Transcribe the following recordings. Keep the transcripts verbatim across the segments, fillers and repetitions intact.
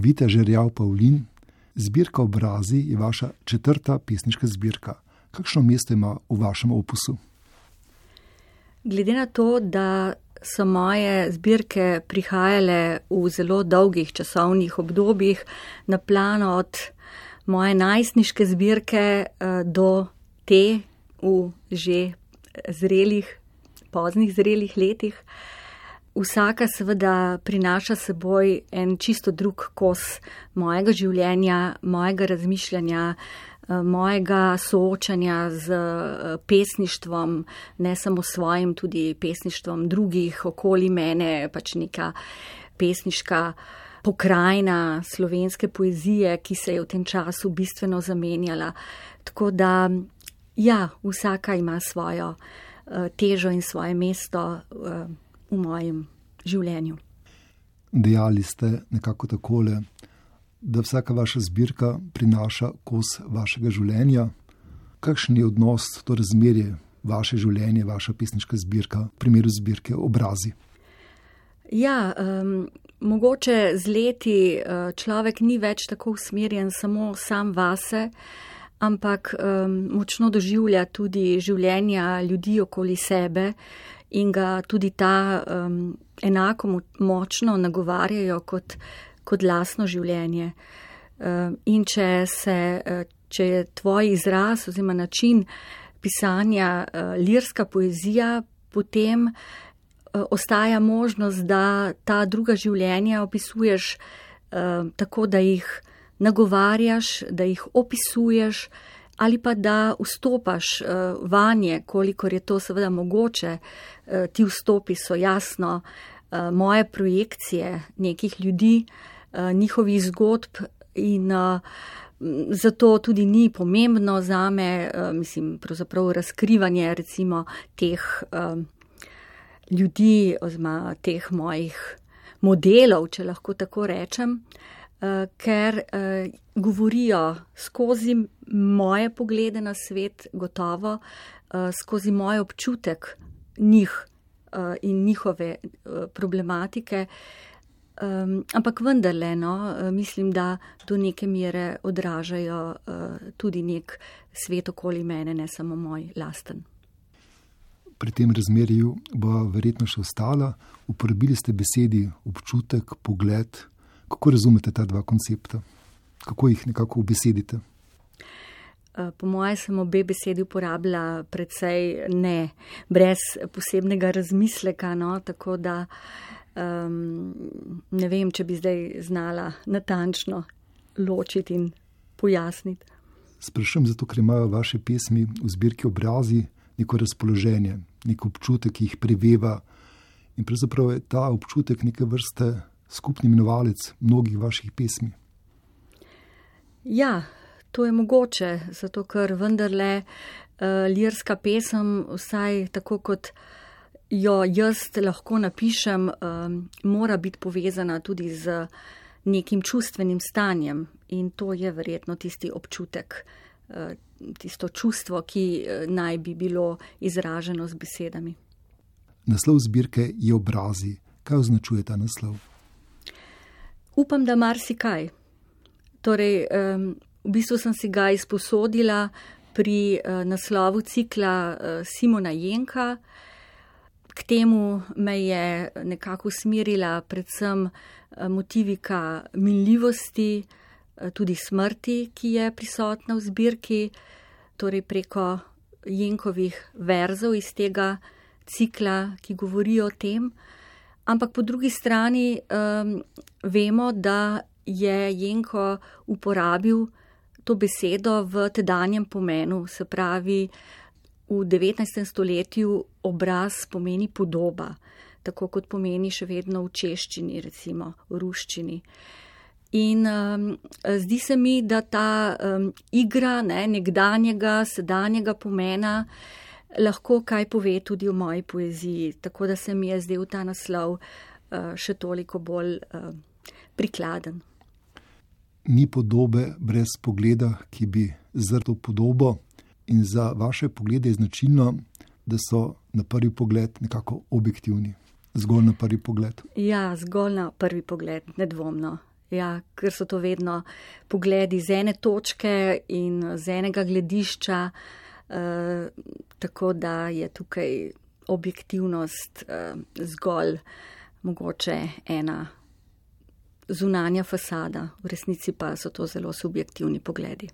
Vita Žerjav Pavlin, zbirka Obrazi je vaša četrta pesniška zbirka. Kakšno mesto ima v vašem opusu? Glede na to, da so moje zbirke prihajale v zelo dolgih časovnih obdobjih na plan od moje najstniške zbirke do te v že zrelih, poznih zrelih letih, vsaka seveda prinaša seboj en čisto drug kos mojega življenja, mojega razmišljanja, mojega soočanja z pesništvom, ne samo svojim, tudi pesništvom drugih okoli mene, pač neka pesniška pokrajina slovenske poezije, ki se je v tem času bistveno zamenjala. Tako da, ja, vsaka ima svojo težo in svoje mesto v mojem življenju. Dejali ste nekako takole, da vsaka vaša zbirka prinaša kos vašega življenja. Kakšen je odnos, to razmerje, vaše življenje, vaša pesniška zbirka, v primeru zbirke Obrazi? Ja, um, mogoče z leti človek ni več tako usmerjen samo sam vase, ampak um, močno doživlja tudi življenja ljudi okoli sebe in ga tudi ta um, enako močno nagovarjajo kot kot lastno življenje. In če, se, če je tvoj izraz oziroma način pisanja lirska poezija, potem ostaja možnost, da ta druga življenja opisuješ tako, da jih nagovarjaš, da jih opisuješ ali pa da vstopaš vanje, kolikor je to seveda mogoče. Ti vstopi so jasno moje projekcije nekih ljudi, njihovih zgodb in zato tudi ni pomembno zame, mislim, pravzaprav razkrivanje recimo teh ljudi oziroma teh mojih modelov, če lahko tako rečem, ker govorijo skozi moje poglede na svet, gotovo skozi moj občutek njih in njihove problematike. Um, ampak vendarle, no, mislim, da do neke mere odražajo uh, tudi nek svet okoli mene, ne samo moj lasten. Pri tem razmerju bo verjetno še ostala. Uporabili ste besedi občutek, pogled. Kako razumete ta dva koncepta? Kako jih nekako ubesedite? Uh, po moje sem obe besedi uporabila precej ne, brez posebnega razmisleka, no, tako da Um, ne vem, če bi zdaj znala natančno ločiti in pojasniti. Sprašujem zato, ker imajo vaše pesmi v zbirki Obrazi neko razpoloženje, nek občutek, ki jih preveva in pravzaprav je ta občutek neke vrste skupni imenovalec mnogih vaših pesmi. Ja, to je mogoče, zato ker vendarle uh, lirska pesem, vsaj tako kot jo jaz lahko napišem, um, mora biti povezana tudi z nekim čustvenim stanjem in to je verjetno tisti občutek, uh, tisto čustvo, ki uh, naj bi bilo izraženo z besedami. Naslov zbirke je Obrazi. Kaj označuje ta naslov? Upam, da marsikaj. Torej, um, v bistvu sem si ga izposodila pri uh, naslovu cikla uh, Simona Jenka. K temu me je nekako usmerila predvsem motivika minljivosti, tudi smrti, ki je prisotna v zbirki, torej preko Jenkovih verzov iz tega cikla, ki govorijo o tem. Ampak po drugi strani um, vemo, da je Jenko uporabil to besedo v tedanjem pomenu, se pravi, v devetnajstem stoletju obraz pomeni podoba, tako kot pomeni še vedno v češčini, recimo v ruščini. In um, zdi se mi, da ta um, igra ne, nekdanjega, sedanjega pomena lahko kaj pove tudi v moji poeziji, tako da se mi je zdel ta naslov uh, še toliko bolj uh, prikladen. Ni podobe brez pogleda, ki bi zrl podobo. In za vaše poglede je značilno, da so na prvi pogled nekako objektivni. Zgolj na prvi pogled. Ja, zgolj na prvi pogled, nedvomno. Ja, ker so to vedno pogledi z ene točke in z enega gledišča, uh, tako da je tukaj objektivnost uh, zgolj mogoče ena zunanja fasada, v resnici pa so to zelo subjektivni pogledi.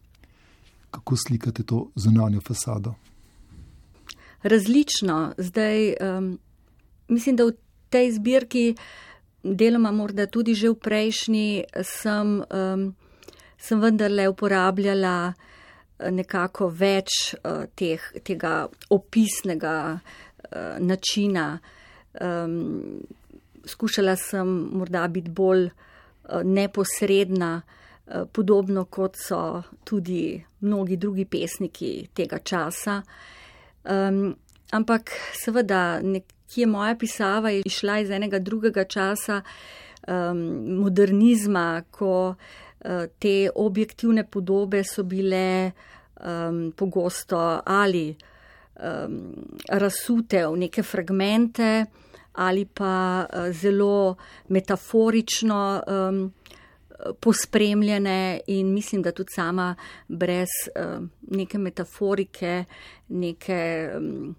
Kako slikate to zunanjo fasado? Različno. Zdaj, um, mislim, da v tej zbirki, deloma morda tudi že v prejšnji, sem, um, sem vendarle uporabljala nekako več uh, teh, tega opisnega uh, načina. Um, skušala sem morda biti bolj uh, neposredna, uh, podobno kot so tudi mnogi drugi pesniki tega časa. Um, ampak seveda nekje moja pisava je išla iz enega drugega časa, um, modernizma, ko uh, te objektivne podobe so bile um, pogosto ali um, razsute v neke fragmente ali pa uh, zelo metaforično um, pospremljene, in mislim, da tudi sama brez uh, neke metaforike, neke um,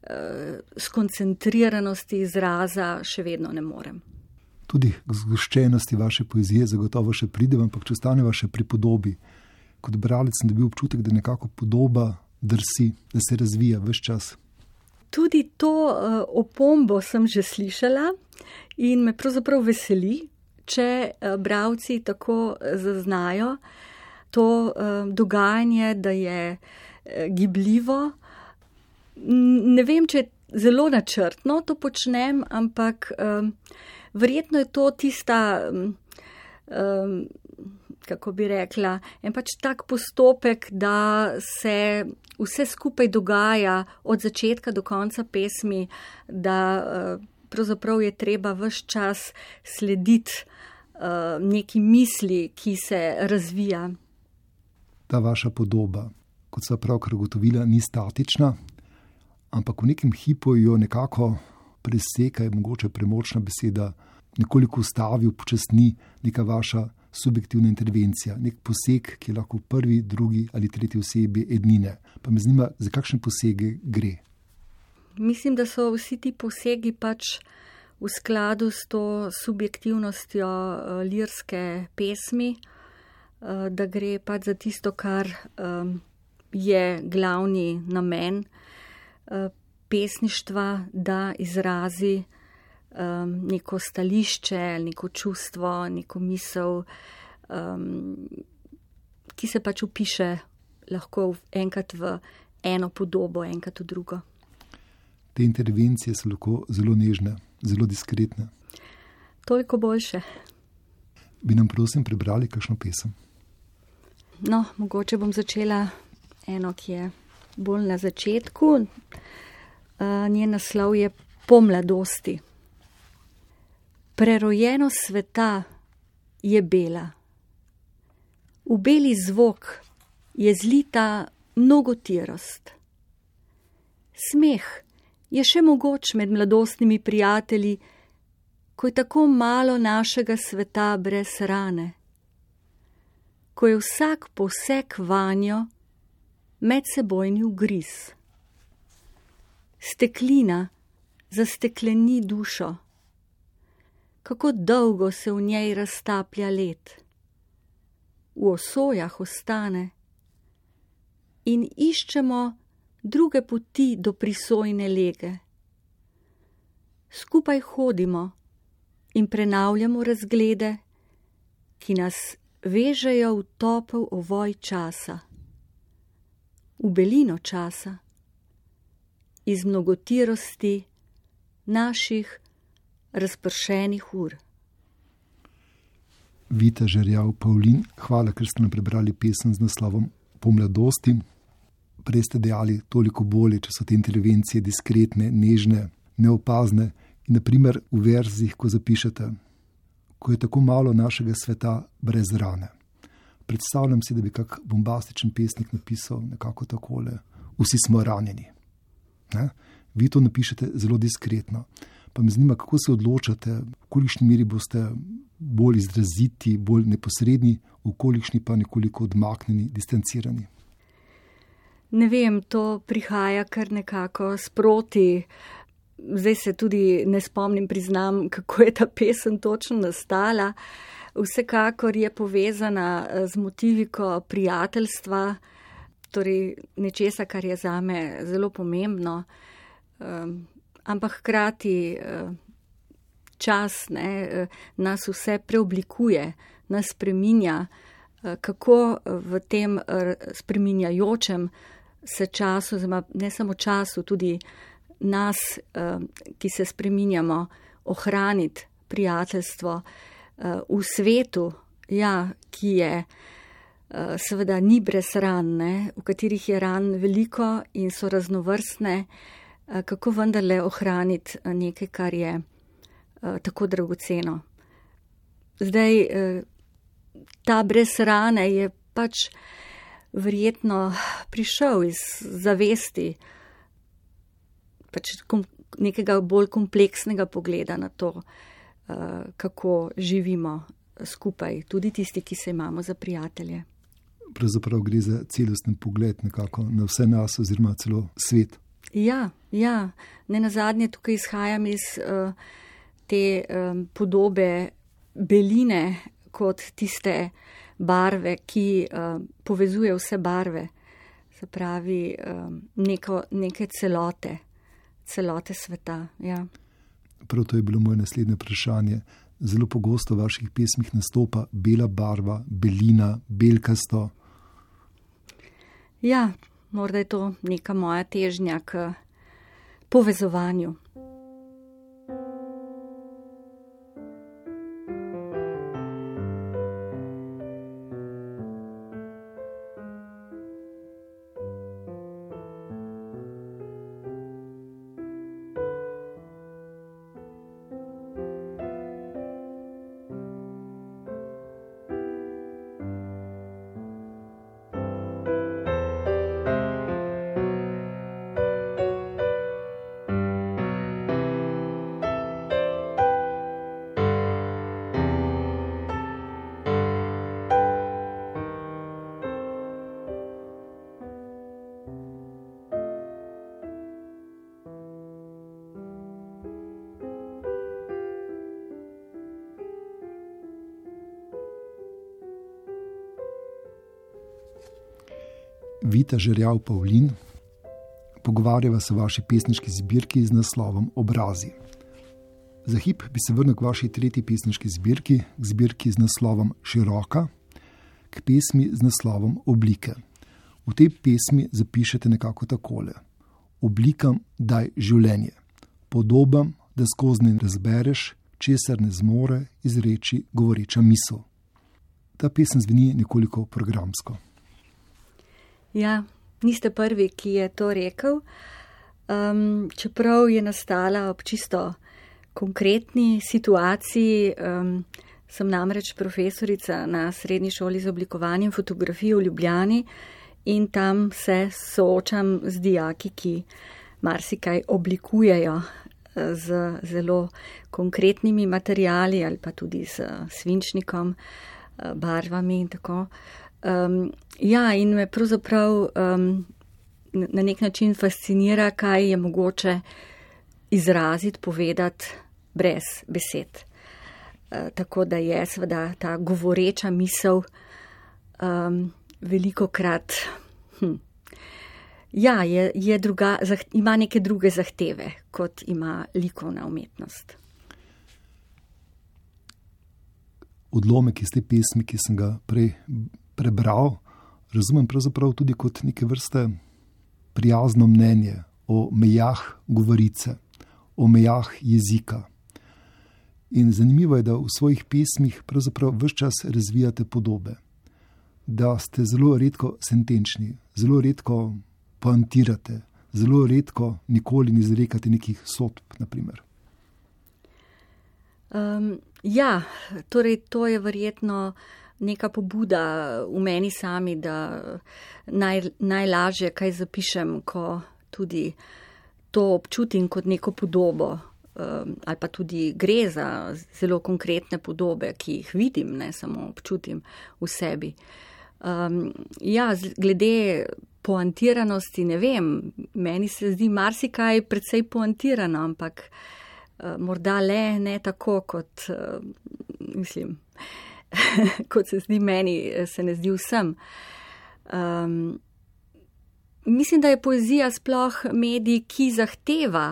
uh, skoncentriranosti izraza še vedno ne morem. Tudi k zgoščenosti vaše poezije zagotovo še pride, ampak če ostaneva še pri podobi. Kot bralec sem dobil občutek, da nekako podoba drsi, da se razvija ves čas. Tudi to uh, opombo sem že slišala in me pravzaprav veseli, če bralci tako zaznajo to dogajanje, da je gibljivo. Ne vem, če zelo načrtno to počnem, ampak verjetno je to tista, kako bi rekla, en pač tak postopek, da se vse skupaj dogaja od začetka do konca pesmi, da pravzaprav je treba ves čas slediti uh, neki misli, ki se razvija. Ta vaša podoba, kot sva pravkar ugotovila, ni statična, ampak v nekem hipu jo nekako preseka, je mogoče premočna beseda, nekoliko ustavi, upočasni neka vaša subjektivna intervencija, nek poseg, ki je lahko v prvi, drugi ali tretji osebi ednine. Pa me zanima, za kakšne posege gre? Mislim, da so vsi ti posegi pač v skladu s to subjektivnostjo uh, lirske pesmi, uh, da gre pač za tisto, kar um, je glavni namen uh, pesništva, da izrazi um, neko stališče, neko čustvo, neko misel, um, ki se pač upiše lahko enkrat v eno podobo, enkrat v drugo. Te intervencije so lahko zelo nežne, zelo diskretne. Toliko boljše. Bi nam prosim prebrali kakšno pesem? No, mogoče bom začela eno, ki je bolj na začetku. Uh, njen naslov je Po mladosti. Prerojenost sveta je bela. V beli zvok je zlita mnogotirost. Smeh je še mogoč med mladostnimi prijatelji, ko je tako malo našega sveta brez rane, ko je vsak poseg vanjo medsebojni ugriz. Steklina zastekleni dušo, kako dolgo se v njej raztaplja led. V osojah ostane in iščemo druge poti do prisojne lege. Skupaj hodimo in prenavljamo razglede, ki nas vežejo v topel ovoj časa, v belino časa, iz mnogotirosti naših razpršenih ur. Vita Žerjav Pavlin, hvala, ker ste nam prebrali pesem z naslovom Po mladosti. Prej ste dejali, toliko bolje, če so te intervencije diskretne, nežne, neopazne. In naprimer v verzih, ko zapišete, ko je tako malo našega sveta brez rane. Predstavljam si, da bi kak bombastičen pesnik napisal nekako takole: vsi smo ranjeni. Ne? Vi to napišete zelo diskretno. Pa me zanima, kako se odločate, v kolikšni meri boste bolj izraziti, bolj neposredni, v kolikšni pa nekoliko odmaknjeni, distancirani? Ne vem, to prihaja kar nekako sproti. Zdaj se tudi ne spomnim, priznam, kako je ta pesem točno nastala. Vsekakor je povezana z motiviko prijateljstva, torej nečesa, kar je zame zelo pomembno, um, ampak hkrati uh, čas ne, nas vse preoblikuje, nas spreminja, uh, kako v tem uh, spreminjajočem se času, ne samo času, tudi nas, uh, ki se spreminjamo, ohraniti prijateljstvo uh, v svetu, ja, ki je seveda ni brez ran, ne, v katerih je ran veliko in so raznovrstne, kako vendarle ohraniti nekaj, kar je tako dragoceno. Zdaj, ta brez rane je pač verjetno prišel iz zavesti pač nekega bolj kompleksnega pogleda na to, kako živimo skupaj, tudi tisti, ki se imamo za prijatelje. Pravzaprav gre za celosten pogled nekako na vse nas oziroma celo svet. Ja, ja. Ne nazadnje tukaj izhajam iz uh, te um, podobe beline kot tiste barve, ki uh, povezuje vse barve, se pravi um, neko, neke celote, celote sveta. Ja. Prav to je bilo moje naslednje vprašanje. Zelo pogosto v vaših pesmih nastopa bela barva, belina, belkasto. Ja, morda je to neka moja težnja k povezovanju. Vita Žerjav Pavlin, pogovarjava se o vaši pesniški zbirki z naslovom Obrazi. Za hip bi se vrnil k vaši tretji pesniški zbirki, k zbirki z naslovom Široka, k pesmi z naslovom Oblike. V tej pesmi zapišete nekako takole: oblikam daj življenje, podobam, da skozi ne razbereš, česar ne zmore izreči govoreča misel. Ta pesem zveni nekoliko programsko. Ja, niste prvi, ki je to rekel, um, čeprav je nastala ob čisto konkretni situaciji. Um, sem namreč profesorica na Srednji šoli za oblikovanje in fotografijo v Ljubljani in tam se soočam z dijaki, ki marsikaj oblikujejo z zelo konkretnimi materiali ali pa tudi s svinčnikom, barvami in tako. Um, ja, in me pravzaprav um, na nek način fascinira, kaj je mogoče izraziti, povedati brez besed. Uh, tako da je seveda ta govoreča misel um, velikokrat, hm, ja, je, je druga, zah, ima neke druge zahteve, kot ima likovna umetnost. Odlomek iz te pesmi, ki sem ga prej prebral, razumem pravzaprav tudi kot neke vrste prijazno mnenje o mejah govorice, o mejah jezika. In zanimivo je, da v svojih pesmih pravzaprav ves čas razvijate podobe, da ste zelo redko sentenčni, zelo redko poantirate, zelo redko nikoli ne izrekate nekih sodb, naprimer. Um, ja, torej to je verjetno neka pobuda v meni sami, da naj, najlažje kaj zapišem, ko tudi to občutim kot neko podobo ali pa tudi gre za zelo konkretne podobe, ki jih vidim, ne samo občutim v sebi. Um, ja, glede poantiranosti, ne vem, meni se zdi marsikaj precej poantirano, ampak uh, morda le ne tako, kot uh, mislim, kot se zdi meni, se ne zdi vsem. Um, mislim, da je poezija sploh medij, ki zahteva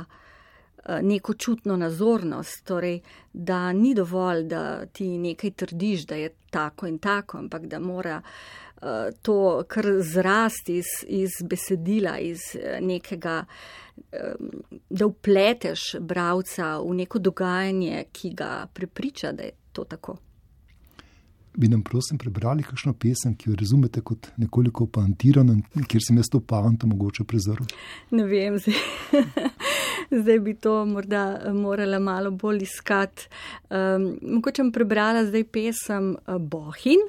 neko čutno nazornost, torej, da ni dovolj, da ti nekaj trdiš, da je tako in tako, ampak da mora uh, to kar zrasti iz, iz besedila, iz nekega, um, da vpleteš bralca v neko dogajanje, ki ga prepriča, da je to tako. Bi nam prosim prebrali kakšno pesem, ki jo razumete kot nekoliko poantirano, kjer sem jaz to poanto mogoče prezrl? Ne vem, zdaj, zdaj bi to morda morala malo bolj iskati. Um, mogoče bom prebrala zdaj pesem Bohinj,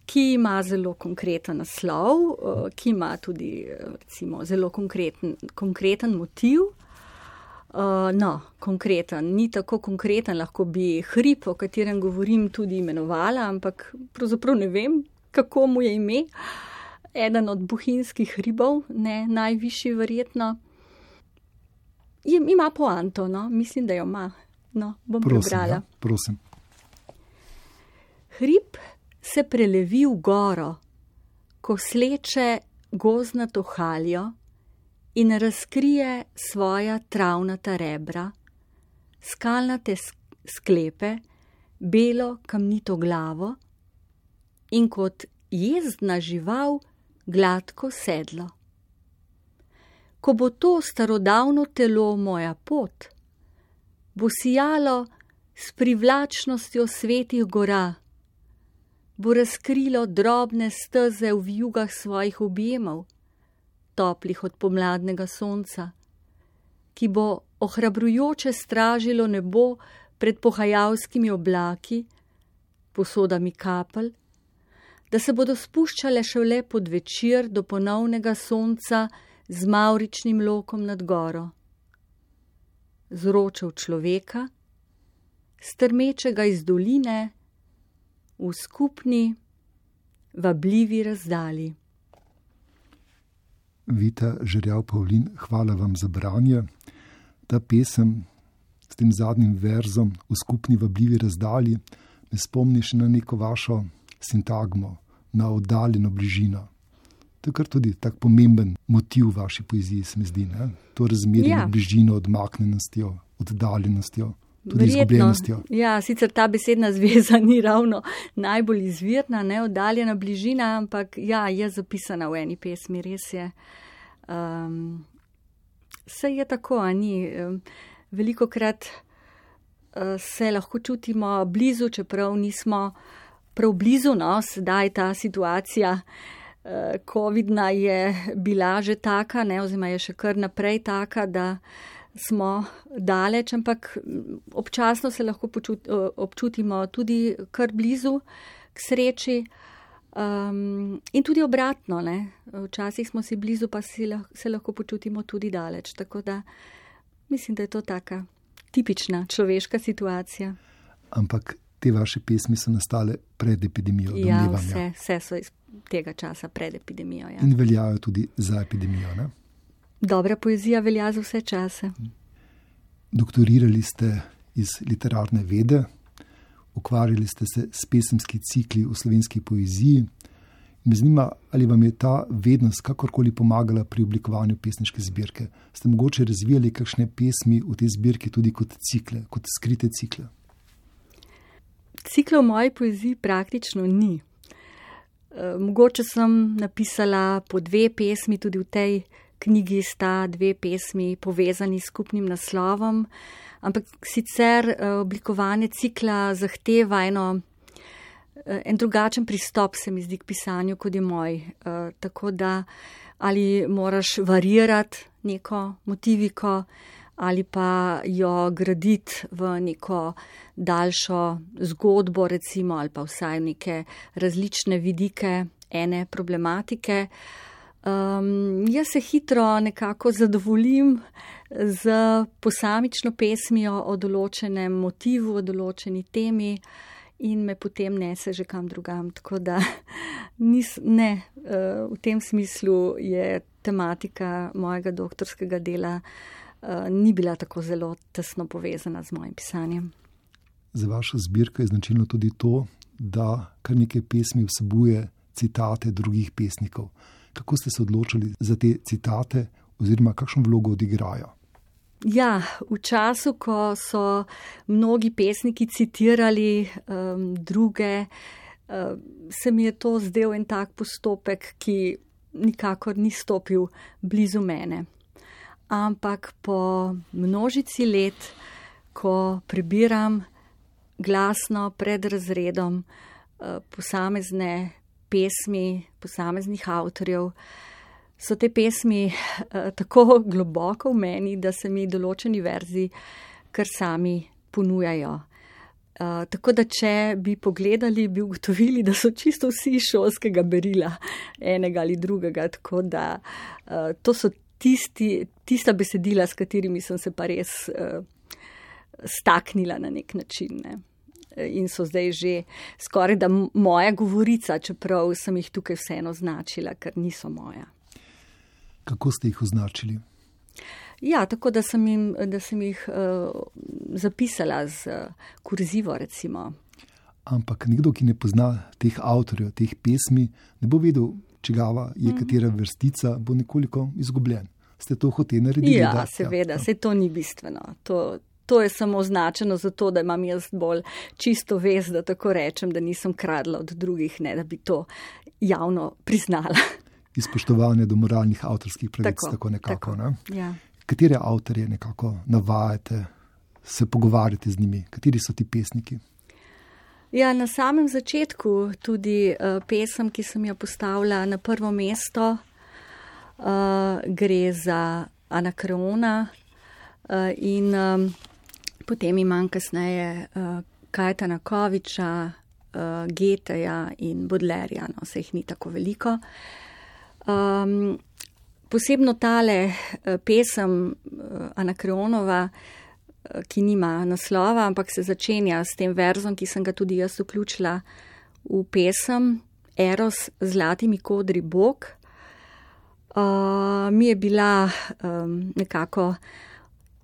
ki ima zelo konkreten naslov, uh, ki ima tudi recimo zelo konkreten, konkreten motiv. Uh, no, konkreten, ni tako konkreten, lahko bi hrib, o katerem govorim, tudi imenovala, ampak pravzaprav ne vem, kako mu je ime. Eden od bohinjskih hribov, ne najvišji verjetno. Je, ima poanto, no, mislim, da jo ima. No, bom prosim, prebrala. Ja, prosim. Hrib se prelevi v goro, ko sleče gozdnato haljo in razkrije svoja travnata rebra, skalnate sklepe, belo kamnito glavo in kot jezdna žival gladko sedlo. Ko bo to starodavno telo moja pot, bo sijalo s privlačnostjo svetih gora, bo razkrilo drobne steze v vijugah svojih objemov, toplih od pomladnega sonca, ki bo ohrabrujoče stražilo nebo pred pohajalskimi oblaki, posodami kapelj, da se bodo spuščale šele pod večer do ponovnega sonca z mavričnim lokom nad goro. Zročev človeka, strmečega iz doline, v skupni, vabljivi razdalji. Vita Žerjav Pavlin, hvala vam za branje. Ta pesem s tem zadnjim verzom v skupni vabljivi razdalji me spomni še na neko vašo sintagmo, na oddaljeno bližino. To je kar tudi tak pomemben motiv vaši poeziji, se mi zdi, ne? To razmerje ja. Med bližino, odmaknjenostjo, oddaljenostjo, tudi izgubljenostjo. Ja, sicer ta besedna zveza ni ravno najbolj izvirna, ne, oddaljena bližina, ampak ja, je zapisana v eni pesmi, res je. Um, se je tako, a ni. Velikokrat uh, se lahko čutimo blizu, čeprav nismo prav blizu, no, sedaj ta situacija uh, covidna je bila že taka, ne, oziroma je še kar naprej taka, da smo daleč, ampak občasno se lahko počut, občutimo tudi kar blizu, k sreči, um, in tudi obratno, ne. Včasih smo si blizu, pa si lah, se lahko počutimo tudi daleč. Tako da mislim, da je to taka tipična človeška situacija. Ampak te vaše pesmi so nastale pred epidemijo. Ja, vse, vse so iz tega časa pred epidemijo. Ja. In veljajo tudi za epidemijo, ne? Dobra poezija velja za vse čase. Doktorirali ste iz literarne vede, ukvarjali ste se s pesemski cikli v slovenski poeziji. Me zanima, ali vam je ta vednost kakorkoli pomagala pri oblikovanju pesniške zbirke. Ste mogoče razvijali kakšne pesmi v tej zbirki tudi kot cikle, kot skrite cikle? Cikla v moji poeziji praktično ni. Mogoče sem napisala po dve pesmi, tudi v tej knjigi sta dve pesmi povezani s skupnim naslovom, ampak sicer oblikovanje cikla zahteva eno, en drugačen pristop, se mi zdi, k pisanju, kot je moj. Tako da ali moraš varirati neko motiviko, ali pa jo graditi v neko daljšo zgodbo, recimo, ali pa vsaj neke različne vidike ene problematike. Um, jaz se hitro nekako zadovoljim z posamično pesmijo o določenem motivu, o določeni temi in me potem nese že kam drugam. Tako da nis, ne, uh, v tem smislu je tematika mojega doktorskega dela uh, ni bila tako zelo tesno povezana z mojim pisanjem. Za vašo zbirko je značilno tudi to, da kar nekaj pesmi vsebuje citate drugih pesnikov. Kako ste se odločili za te citate oziroma kakšno vlogo odigrajo? Ja, v času, ko so mnogi pesniki citirali um, druge, um, se mi je to zdel en tak postopek, ki nikakor ni stopil blizu mene. Ampak po množici let, ko prebiram glasno pred razredom uh, posamezne pesmi, posameznih avtorjev, so te pesmi uh, tako globoko v meni, da se mi določeni verzi kar sami ponujajo. Uh, tako da, če bi pogledali, bi ugotovili, da so čisto vsi iz šolskega berila enega ali drugega. Tako da uh, to so tisti, tista besedila, s katerimi sem se pa res uh, staknila na nek način, ne. In so zdaj že skoraj da moja govorica, čeprav sem jih tukaj vseeno označila, ker niso moja. Kako ste jih označili? Ja, tako da sem, jim, da sem jih uh, zapisala z uh, kurzivo, recimo. Ampak nekdo, ki ne pozna teh avtorjev, teh pesmi, ne bo vedel, čigava je mm. katera vrstica, bo nekoliko izgubljen. Ste to hoteli narediti? Ja, da? seveda, ja. Saj to ni bistveno. To To je samo označeno zato, da imam jaz bolj čisto vest, da tako rečem, da nisem kradla od drugih, ne da bi to javno priznala. Izpoštovanje do moralnih avtorskih pravic, tako, tako nekako. Tako, ne? Ja. Katere avtorje nekako navajate, se pogovarjate z njimi? Kateri so ti pesniki? Ja, na samem začetku tudi uh, pesem, ki sem jo postavila na prvo mesto, uh, gre za Anakreona uh, in um, potem imam kasneje uh, Kajtana Koviča, uh, Geteja in Bodlerja, no, se jih ni tako veliko. Um, posebno tale uh, pesem uh, Anakreonova, uh, ki nima naslova, ampak se začenja s tem verzom, ki sem ga tudi jaz vključila v pesem Eros z zlatimi kodri Bog, uh, mi je bila um, nekako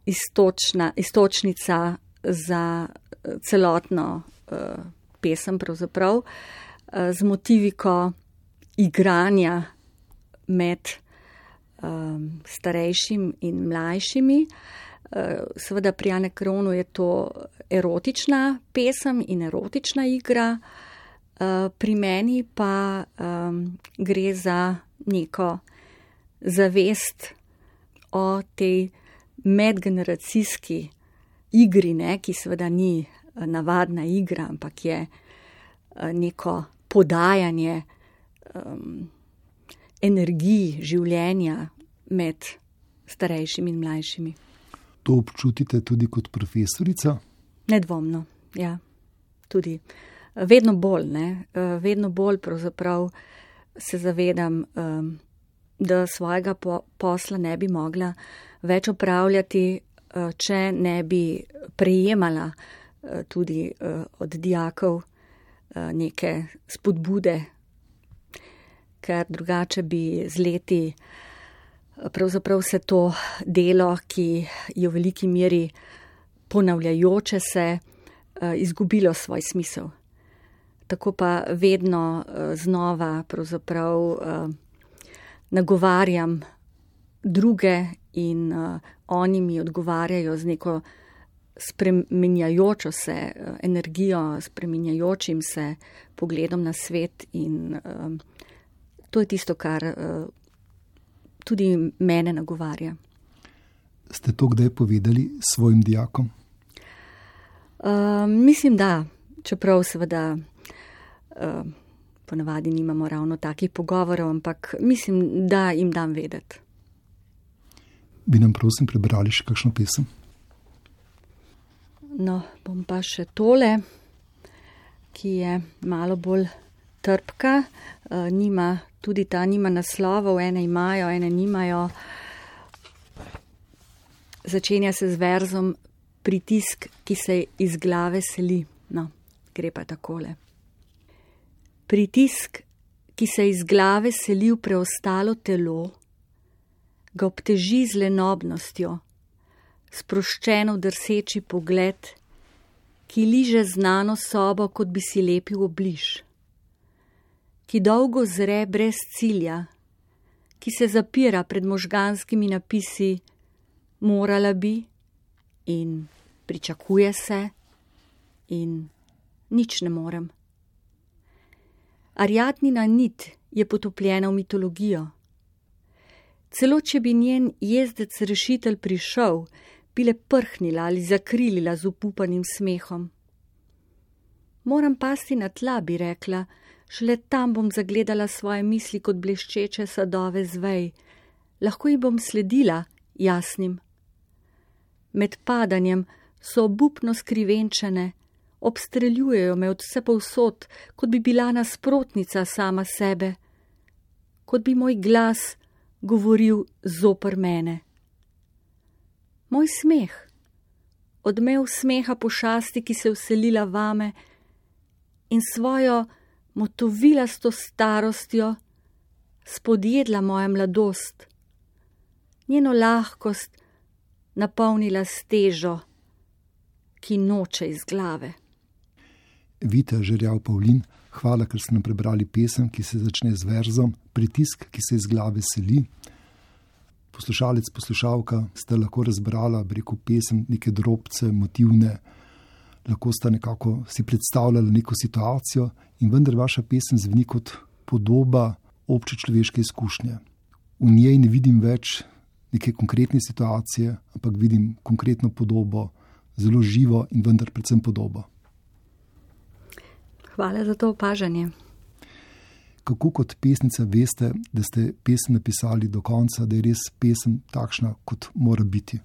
Istočna, istočnica za celotno uh, pesem pravzaprav, uh, z motiviko igranja med um, starejšim in mlajšimi. Uh, seveda pri Anakreonu je to erotična pesem in erotična igra, uh, pri meni pa um, gre za neko zavest o tej medgeneracijski igri, ne, ki seveda ni navadna igra, ampak je neko podajanje um, energiji življenja med starejšimi in mlajšimi. To občutite tudi kot profesorica? Nedvomno, ja. Tudi vedno bolj, ne, vedno bolj pravzaprav se zavedam, um, da svojega po- posla ne bi mogla več opravljati, če ne bi prejemala tudi od dijakov neke spodbude, ker drugače bi z leti pravzaprav se to delo, ki je v veliki meri ponavljajoče se, izgubilo svoj smisel. Tako pa vedno znova pravzaprav nagovarjam druge in uh, oni mi odgovarjajo z neko spreminjajočo se uh, energijo, spreminjajočim se pogledom na svet in uh, to je tisto, kar uh, tudi mene nagovarja. Ste to kdaj povedali svojim dijakom? Uh, mislim, da, čeprav seveda uh, ponavadi nimamo ravno takih pogovorov, ampak mislim, da jim dam vedeti. Bi nam prosim prebrali še kakšno pesem? No, bom pa še tole, ki je malo bolj trpka, nima, tudi ta nima naslovov, ene imajo, ene nimajo. Začenja se z verzom Pritisk, ki se iz glave seli. No, gre pa takole. Pritisk, ki se iz glave seli v preostalo telo, ga obteži z lenobnostjo, sproščeno drseči pogled, ki liže znano sobo, kot bi si lepil obliž, ki dolgo zre brez cilja, ki se zapira pred možganskimi napisi morala bi in pričakuje se in nič ne morem. Ariadnina nit je potopljena v mitologijo. Celo če bi njen jezdec rešitelj prišel, bi le prhnila ali zakrilila z upupanim smehom. Moram pasti na tla, bi rekla, šele tam bom zagledala svoje misli kot bleščeče sadove zvej. Lahko ji bom sledila, jasnim. Med padanjem so obupno skrivenčene, obstreljujejo me od vse povsod, kot bi bila nasprotnica sama sebe, kot bi moj glas govoril zoper mene. Moj smeh, odmev smeha pošasti, ki se vselila vame in svojo motovilasto starostjo spodjedla moja mladost, njeno lahkost napolnila s težo, ki noče iz glave. Vita Žerjav Pavlin, hvala, ker ste nam prebrali pesem, ki se začne z verzom Pritisk, ki se iz glave seli. Poslušalec, poslušalka, ste lahko razbrala, bi rekel, pesem, neke drobce, motivne, lahko sta nekako si predstavljala neko situacijo in vendar vaša pesem zveni kot podoba obče človeške izkušnje. V njej ne vidim več neke konkretne situacije, ampak vidim konkretno podobo, zelo živo in vendar predvsem podobo. Hvala za to opažanje. Kako kot pesnica veste, da ste pesem napisali do konca, da je res pesem takšna, kot mora biti?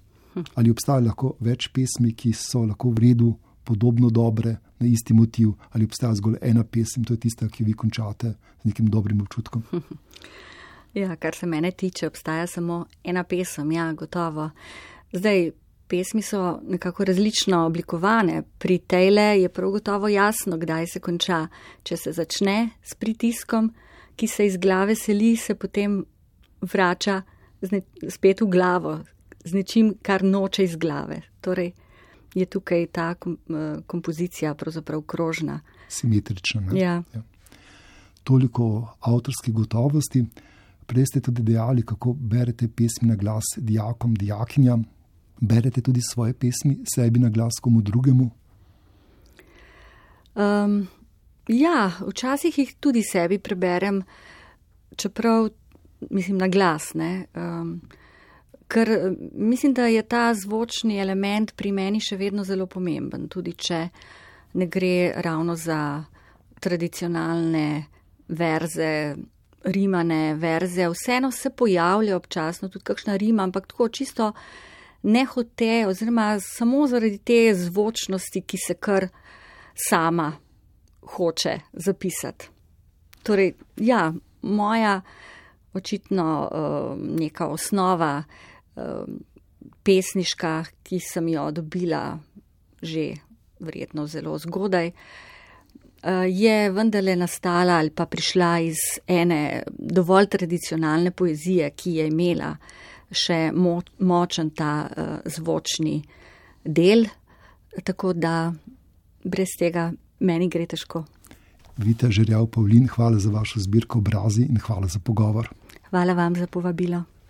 Ali obstaja lahko več pesmi, ki so lahko v redu, podobno dobre, na isti motiv, ali obstaja zgolj ena pesem, to je tista, ki vi končate z nekim dobrim občutkom? Ja, kar se mene tiče, obstaja samo ena pesem, ja, gotovo. Zdaj, pesmi so nekako različno oblikovane. Pri tejle je prav gotovo jasno, kdaj se konča. Če se začne s pritiskom, ki se iz glave seli, se potem vrača spet v glavo, z nečim, kar noče iz glave. Torej je tukaj ta kompozicija pravzaprav krožna. Simetrična, ne? Ja. Ja. Toliko avtorski gotovosti. Prej ste tudi dejali, kako berete pesmi na glas dijakom, dijakinjam. Berete tudi svoje pesmi sebi na glas komu drugemu? Um, ja, včasih jih tudi sebi preberem, čeprav mislim na glas, ne. Um, ker mislim, da je ta zvočni element pri meni še vedno zelo pomemben, tudi če ne gre ravno za tradicionalne verze, rimane verze. Vseeno se pojavlja občasno tudi kakšna rima, ampak tako čisto nehote, oziroma samo zaradi te zvočnosti, ki se kar sama hoče zapisati. Torej, ja, moja očitno uh, neka osnova uh, pesniška, ki sem jo dobila že verjetno zelo zgodaj, uh, je vendarle nastala ali pa prišla iz ene dovolj tradicionalne poezije, ki je imela še mo- močen ta uh, zvočni del, tako da brez tega meni gre težko. Vita Žerjav Pavlin, hvala za vašo zbirko Obrazi in hvala za pogovor. Hvala vam za povabilo.